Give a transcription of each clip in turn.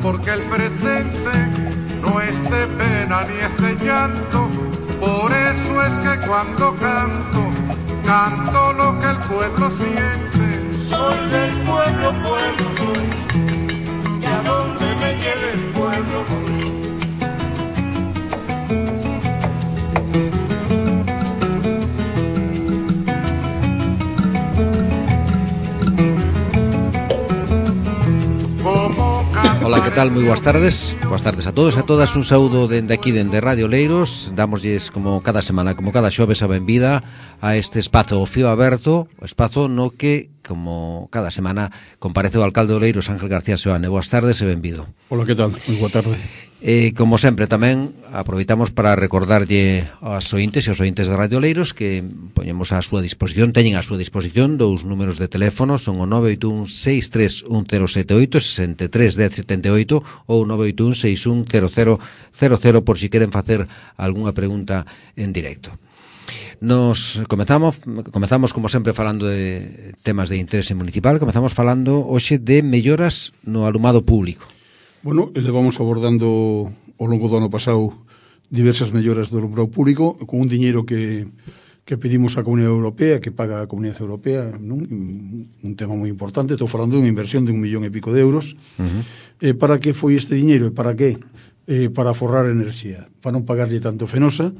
porque el presente no es de pena ni es de llanto. Por eso es que cuando canto, canto lo que el pueblo siente. Soy del pueblo, pueblo soy, y a donde me lleve el pueblo voy. Ola, que tal? Moi boas tardes. Boas tardes a todos e a todas. Un saúdo dende aquí, dende Radio Leiros. Dámoslles como cada semana, como cada xoves, a benvida a este espazo Fío Aberto, o espazo no que, como cada semana, comparece o alcalde de Oleiros, Ángel García Seoane. Boas tardes e benvido. Ola, que tal? Moi boa tarde. Como sempre, tamén aproveitamos para recordarlle aos ointes e aos ointes de Radio Leiros que poñemos a súa disposición, teñen a súa disposición dous números de teléfono, son o 981-631-078, 63-1078 ou 981-610000 por si queren facer algunha pregunta en directo. Nos comezamos como sempre falando de temas de interese municipal. Comezamos falando hoxe de melloras no alumado público. Bueno, levamos abordando ao longo do ano pasado diversas melloras do alumbrado público con un diñeiro que pedimos á Comunidade Europea, que paga a Comunidade Europea, non? Un tema moi importante. Estou falando dunha inversión de 1,5 millón de euros. Para que foi este diñeiro e para que? Para aforrar enerxía, para non pagarlle tanto Fenosa,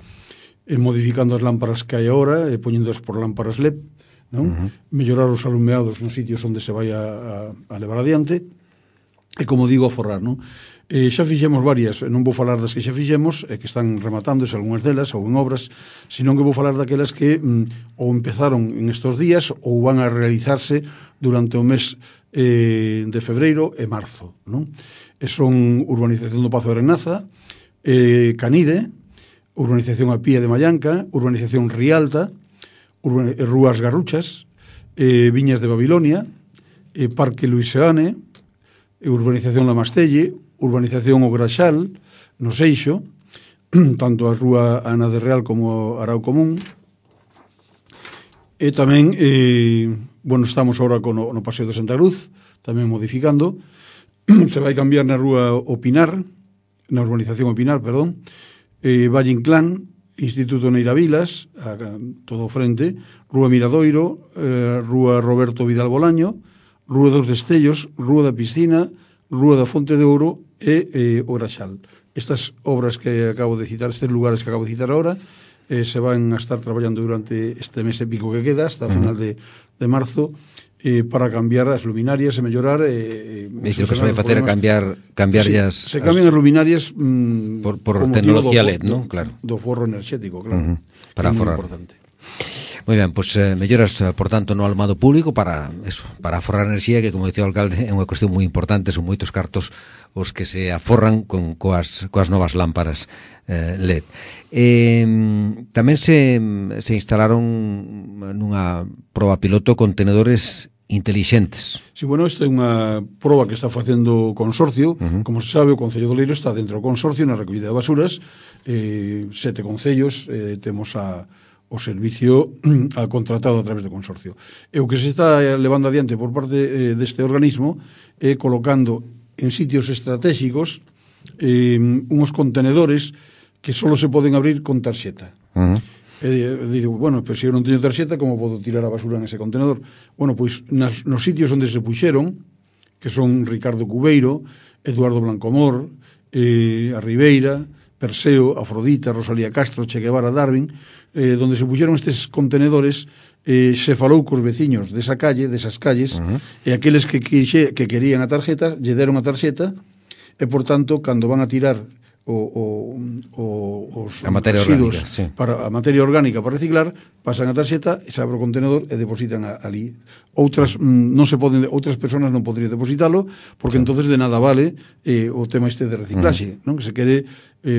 modificando as lámparas que hai agora, poñéndoas por lámparas LED, non? Mellorar os alumeados nos sitios onde se vai a levar adiante. E, como digo, a forrar, non? Xa fixemos varias, non vou falar das que xa fixemos, que están rematándose algunhas delas, ou en obras, senón que vou falar daquelas que ou empezaron en estos días ou van a realizarse durante o mes de febreiro e marzo, non? Son urbanización do Pazo de Arenaza, Canide, urbanización a Pía de Mallanca, urbanización Rialta, Rúas Garruchas, Viñas de Babilonia, Parque Luís Seoane, urbanización La Mastelle, urbanización O Graxal, no Seixo, tanto a Rúa Ana de Real como Arao Común. E tamén, estamos agora no Paseo de Santa Cruz, tamén modificando. Se vai cambiar na Rúa Opinar, na urbanización Opinar, perdón, Valle Inclán, Instituto Neira Vilas, todo o frente, Rúa Miradoiro, Rúa Roberto Vidal Bolaño, Rúa dos Destellos, Rúa da Piscina, Rúa da Fonte de Ouro e O Graxal. Estas obras que acabo de citar, estes lugares que acabo de citar ahora, se van a estar traballando durante este mes e pico que queda, hasta a final de marzo, para cambiar as luminarias e mellorar... E que se vai facer a cambiar se cambian as luminarias por tecnología LED, non? Claro. Do forro enerxético, claro. Para aforrar. Moi ben, pois melloras, por tanto, no alumado público para aforrar enerxía, que, como dicía o alcalde, é unha cuestión moi importante. Son moitos cartos os que se aforran coas novas lámparas LED. Tamén se instalaron nunha proba piloto contenedores intelixentes. Sí, bueno, esta é unha proba que está facendo o consorcio. Como se sabe, o Concello de Oleiros está dentro do consorcio na recollida de basuras. 7 concellos, temos o servicio contratado a través do consorcio. E o que se está levando adiante por parte deste organismo é colocando en sitios estratégicos unhos contenedores que só se poden abrir con tarxeta. Digo, bueno, pero se eu non teño tarxeta, como podo tirar a basura nese contenedor? Bueno, pois nos sitios onde se puxeron, que son Ricardo Cubeiro, Eduardo Blancomor, a Ribeira, Perseo, Afrodita, Rosalía Castro, Che Guevara, Darwin, donde se puxeron estes contenedores, se falou cos veciños desas calles, e aqueles que querían a tarxeta, lle deron a tarxeta, e, por tanto, cando van a tirar a materia orgánica, sí, para a materia orgánica para reciclar, pasan a tarxeta e se abre o contenedor e depositan ali. Outras persoas non poderían depositalo, porque entonces de nada vale o tema este de reciclaxe, non? Que se quere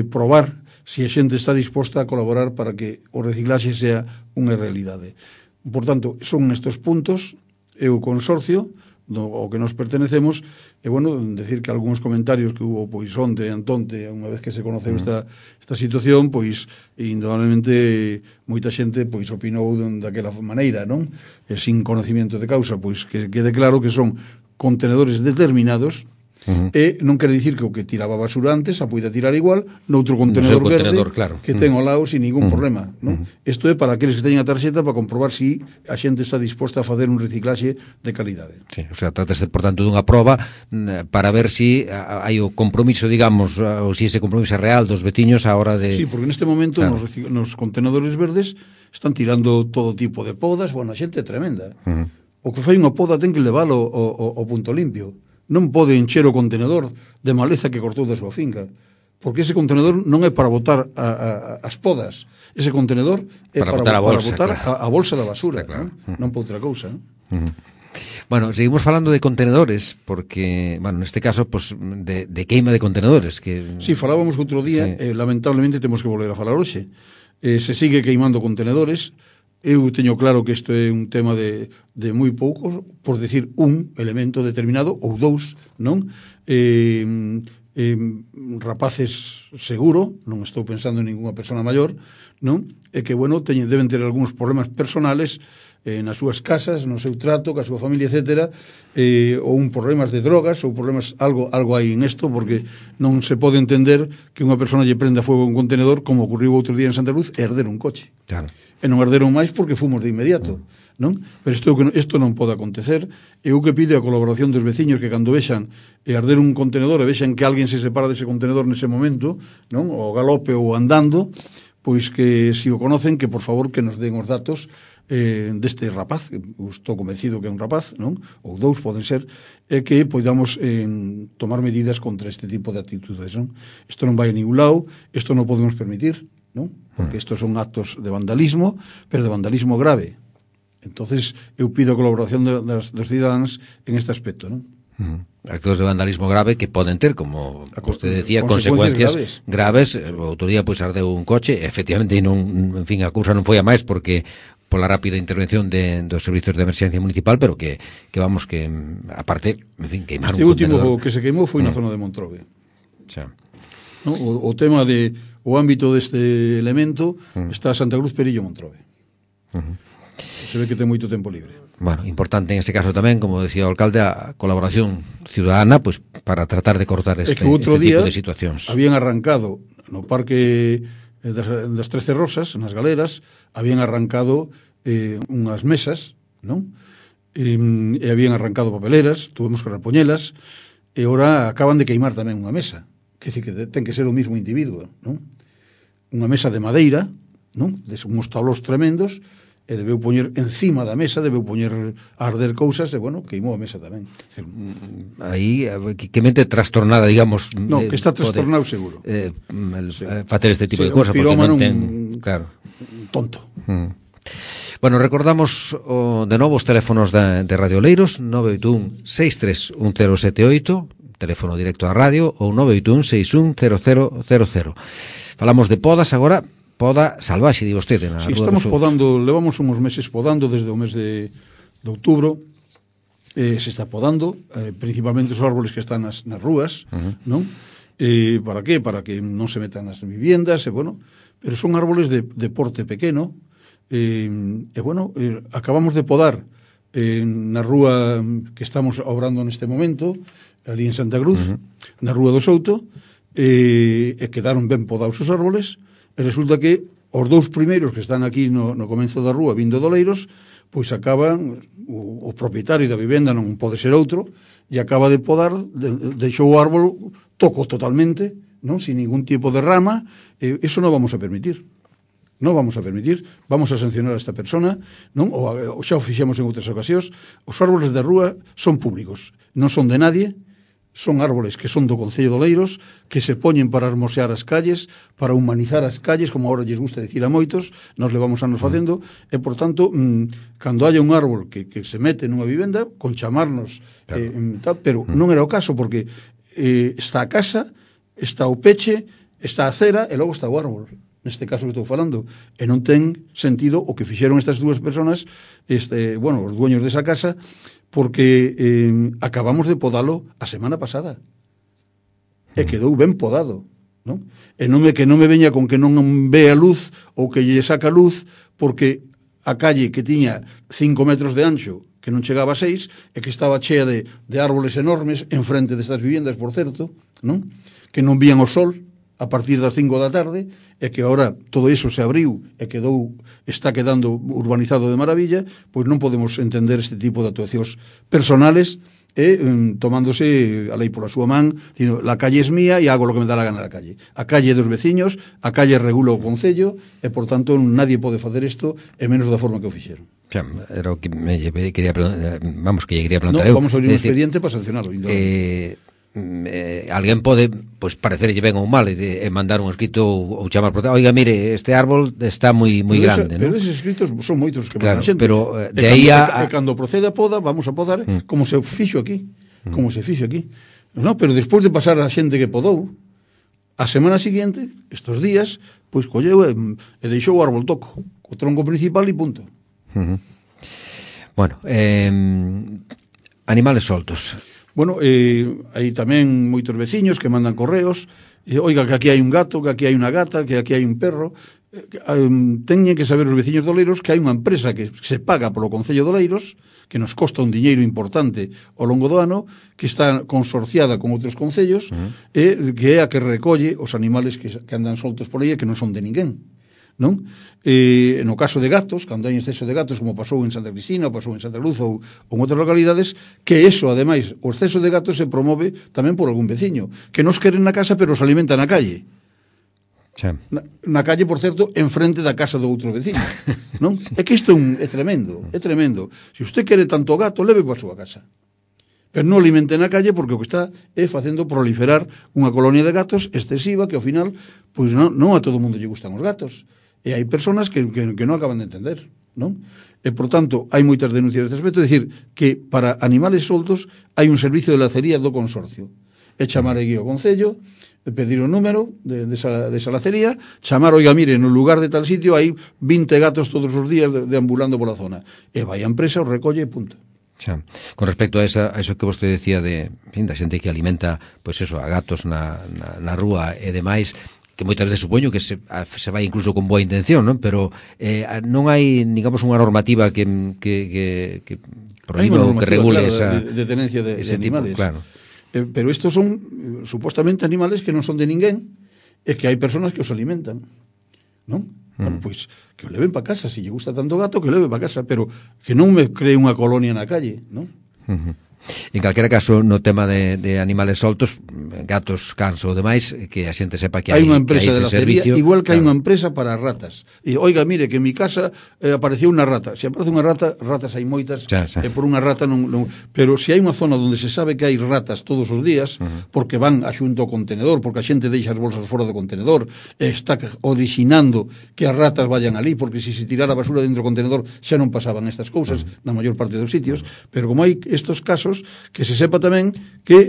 probar se a xente está disposta a colaborar para que o reciclaxe sea unha realidade. Por tanto, son estes puntos, e o consorcio ao que nos pertenecemos, e, bueno, decir que algúns comentarios que hubo, pois, onte, antonte, unha vez que se conoceu esta situación, pois, indudablemente, moita xente, pois, opinou daquela maneira, non? E sin conocimiento de causa, pois, que quede claro que son contenedores determinados E non quere dicir que o que tiraba basura antes a poida tirar igual noutro contenedor verde claro. que ten ao lado sin ningún problema, non? Isto é para aqueles que teñen a tarxeta para comprobar si a xente está disposta a facer un reciclaxe de calidade. Sí, o sea, trátase, por tanto, dunha proba para ver si hai o compromiso, digamos, ou si ese compromiso é real dos veciños a hora de... Sí, porque neste momento claro, nos contenedores verdes están tirando todo tipo de podas, bueno, a xente é tremenda. O que fai unha poda ten que leválo ao punto limpio. Non pode encher o contenedor de maleza que cortou da súa finca, porque ese contenedor non é para botar as podas, ese contenedor é para botar claro, a bolsa da basura, claro, non para outra cousa. Bueno, seguimos falando de contenedores, porque, bueno, neste caso, pues, de queima de contenedores. Que... Sí, falábamos outro día, sí. Lamentablemente temos que volver a falar hoxe. Se sigue queimando contenedores. Eu teño claro que isto é un tema de moi poucos, por decir un elemento determinado, ou dous, non? Rapaces seguro, non estou pensando en ninguna persona maior, non? E que, bueno, deben ter algúns problemas personales nas súas casas, no seu trato, ca súa familia, etcétera, ou un problemas de drogas, ou problemas, algo hai en isto, porque non se pode entender que unha persona lle prenda fuego a un contenedor, como ocurriu outro día en Santa Cruz, e arder un coche. Claro. E non arderon máis porque fomos de inmediato, non? Pero isto non pode acontecer. Eu que pide a colaboración dos veciños que cando vexan arder un contenedor e vexan que alguén se separa dese contenedor nese momento, non? O galope ou andando, pois que se o conocen, que por favor que nos den os datos deste rapaz, estou convencido que é un rapaz, non? Ou dous poden ser, e que podamos tomar medidas contra este tipo de actitudes, non? Isto non vai a ningún lado, isto non podemos permitir, non? Porque estos son actos de vandalismo, pero de vandalismo grave. Entonces, eu pido a colaboración dos cidadáns en este aspecto, non? Actos de vandalismo grave que poden ter, como usted decía, consecuencias graves. O outro día, pois, ardeu un coche, efectivamente, en fin, a cousa non foi a máis porque pola rápida intervención dos servizos de emerxencia municipal, pero que vamos, que aparte, en fin, queimar un contenedor. Este último que se queimou foi na zona de Montrobe. Xa. No? O tema de o ámbito deste elemento está Santa Cruz, Perillo, Montrobe. Se ve que ten moito tempo libre. Bueno, importante en ese caso tamén, como decía o alcalde, a colaboración ciudadana, pues, para tratar de cortar este tipo de situacións. Habían arrancado no parque das 13 Rosas, nas galeras, habían arrancado unhas mesas, non? E habían arrancado papeleras, tuvemos que repoñelas, e ora acaban de queimar tamén unha mesa. Que decir que ten que ser o mismo individuo, non? Unha mesa de madeira, non? De uns tablos tremendos, e debeu poñer encima da mesa, debeu poñer a arder cousas, e, bueno, queimou a mesa tamén. Aí, que mente trastornada, digamos... No, que está trastornado seguro. Facer este tipo de cosas, porque non ten... Claro. Tonto. Bueno, recordamos de novo os teléfonos de Radio Oleiros, 981-631078, teléfono directo á radio, ou 981-610000. Falamos de podas agora, poda salvaxe, di vostede. Si, estamos podando, levamos uns meses podando desde o mes de outubro, se está podando, principalmente os árboles que están nas rúas, non? Para que? Para que non se metan nas viviendas, bueno, pero son árboles de porte pequeno, bueno, acabamos de podar na rúa que estamos obrando neste momento, ali en Santa Cruz, na rúa do Souto, e quedaron ben podados os árboles, e resulta que os dous primeiros que están aquí no comenzo da rúa vindo de Oleiros, pois acaban, o propietario da vivenda non pode ser outro, e acaba de podar, deixou o árbol toco totalmente, non, sin ningún tipo de rama, eso non vamos a permitir. Non vamos a permitir, vamos a sancionar a esta persona, non? O xa o fixemos en outras ocasións. Os árboles da rúa son públicos, non son de nadie, son árboles que son do Concello de Oleiros, que se poñen para hermosear as calles, para humanizar as calles, como agora lles gusta dicir a moitos, nos levamos anos facendo, e, por tanto, cando haya un árbol que se mete nunha vivenda, con chamarnos, claro, pero non era o caso, porque está a casa, está o peche, está a cera, e logo está o árbol, neste caso que estou falando, e non ten sentido o que fixeron estas dúas personas, bueno, os dueños desa casa, porque acabamos de podalo a semana pasada e quedou ben podado, non? E que non me veña con que non ve a luz ou que lle saca luz, porque a calle que tiña 5 metros de ancho que non chegaba a 6, e que estaba chea de árboles enormes enfrente destas viviendas, por certo, non? Que non vían o sol a partir das 5 da tarde, e que agora todo iso se abriu e está quedando urbanizado de maravilla, pois non podemos entender este tipo de actuacións personales e tomándose a lei pola súa man, dicindo, la calle es mía e hago lo que me da la gana na calle. A calle é dos veciños, a calle regula o concello e, por tanto, nadie pode facer isto e menos da forma que o fixeron. Xa, era o que quería preguntar, que lle quería preguntar. Vamos a abrir un expediente para sancionarlo. Alguén pode parecerlle ben ou mal e mandar un escrito ou chamar por oiga, mire, este árbol está moi grande, pero eses escritos son moitos que claro, xente, pero de aí a cando procede a poda, vamos a podar como se fixo aquí, no, pero despois de pasar a xente que podou, a semana seguinte, estos días, pois colleu e deixou o árbol toco, o tronco principal e punto. Bueno, animales soltos. Bueno, hai tamén moitos veciños que mandan correos, oiga, que aquí hai un gato, que aquí hai unha gata, que aquí hai un perro. Teñen que saber os veciños de Oleiros que hai unha empresa que se paga polo Concello de Oleiros, que nos costa un diñeiro importante ao longo do ano, que está consorciada con outros concellos, e que é a que recolle os animales que andan soltos por aí e que non son de ninguén. Non? No caso de gatos, cando hai exceso de gatos, como pasou en Santa Cristina, ou pasou en Santa Cruz ou en outras localidades, que eso, ademais, o exceso de gatos se promove tamén por algún veciño, que nos queren na casa pero os alimenta na calle. Na calle, por certo, enfrente da casa do outro veciño, non? É que isto é tremendo, é tremendo. Se usted quere tanto gato, leve para a súa casa. Pero non alimente na calle, porque o que está é facendo proliferar unha colonia de gatos excesiva que ao final, pois non a todo mundo lle gustan os gatos. E hai persoas que non acaban de entender, non? E, por tanto, hai moitas denuncias neste aspecto, é dicir, que para animales soltos hai un servicio de lacería do consorcio. É chamar aquí ao Concello, pedir o número de esa lacería, chamar, oiga, mire, no lugar de tal sitio hai 20 gatos todos os días deambulando pola zona. E vai a empresa, os recolle e punto. Xa. Con respecto a eso que vostede decía da xente que alimenta pois eso, a gatos na rúa e demais, que moitas veces supoño que se vai incluso con boa intención, non? Pero non hai, digamos, unha normativa que prohíba ou que regule esa de tenencia de animales. Tipo, claro. Pero estos son supostamente animales que non son de ninguén e que hai persoas que os alimentan, non? Bueno, pois que o leven para casa, se lle gusta tanto gato, que o leve para casa, pero que non me cree unha colonia na calle, non? En calquera caso, no tema de animales soltos, gatos, cans ou demais, que a xente sepa que hai unha empresa de lacería, igual que claro. Hai unha empresa para ratas. E, oiga, mire, que en mi casa apareceu unha rata. Se aparece unha rata, ratas hai moitas, e por unha rata non... Pero se hai unha zona onde se sabe que hai ratas todos os días, porque van a xunto ao contenedor, porque a xente deixa as bolsas fora do contenedor, e está orixinando que as ratas vayan ali, porque se tirara a basura dentro do contenedor xa non pasaban estas cousas na maior parte dos sitios, pero como hai estos casos, que se sepa tamén que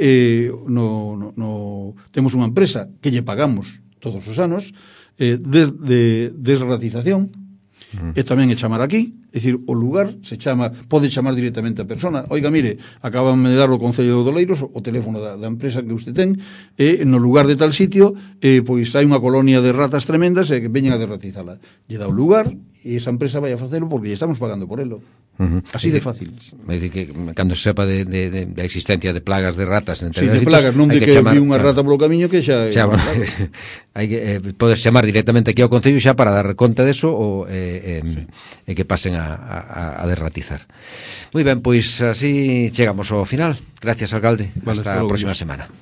temos unha empresa que lle pagamos todos os anos de desratización, e tamén é chamar aquí, é dicir, o lugar pode chamar directamente a persona, oiga, mire, acaban de dar o Concello de Oleiros o teléfono da empresa que usted ten, e no lugar de tal sitio pois hai unha colonia de ratas tremendas e que veñen a desratizala. Lle dá o lugar e esa empresa vai a facelo porque lle estamos pagando por elo. Así de fácil. É dicir, que cando se sepa de existencia de plagas de ratas en de plagas, non de que vi unha rata polo camiño que xa bueno, hai que podes chamar directamente aquí ao Concello xa para dar conta deso e que pasen a derratizar. Moi ben, pois así chegamos ao final. Gracias, alcalde. Hasta a próxima semana.